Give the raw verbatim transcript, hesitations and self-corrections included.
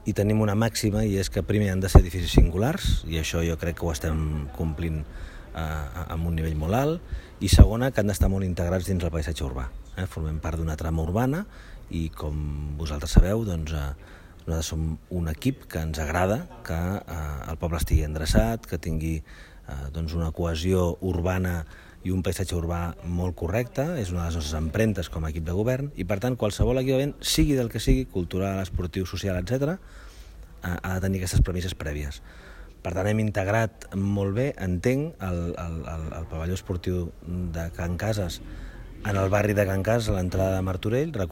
i tenim una màxima, i és que primer han de ser edificis singulars, i això jo crec que ho estem complint eh, amb un nivell molt alt, i segona, que han d'estar molt integrats dins el paisatge urbà. Eh? Formem part d'una trama urbana i, com vosaltres sabeu, doncs, eh, nosaltres som un equip que ens agrada que eh, el poble estigui endreçat, que tingui eh, doncs una cohesió urbana i un paisatge urbà molt correcte, és una de les nostres empremtes com a equip de govern, i per tant qualsevol equipament, sigui del que sigui, cultural, esportiu, social, etcètera, ha de tenir aquestes premisses prèvies. Per tant, hem integrat molt bé, entenc, el, el, el, el pavelló esportiu de Can Cases en el barri de Can Cases, a l'entrada de Martorell.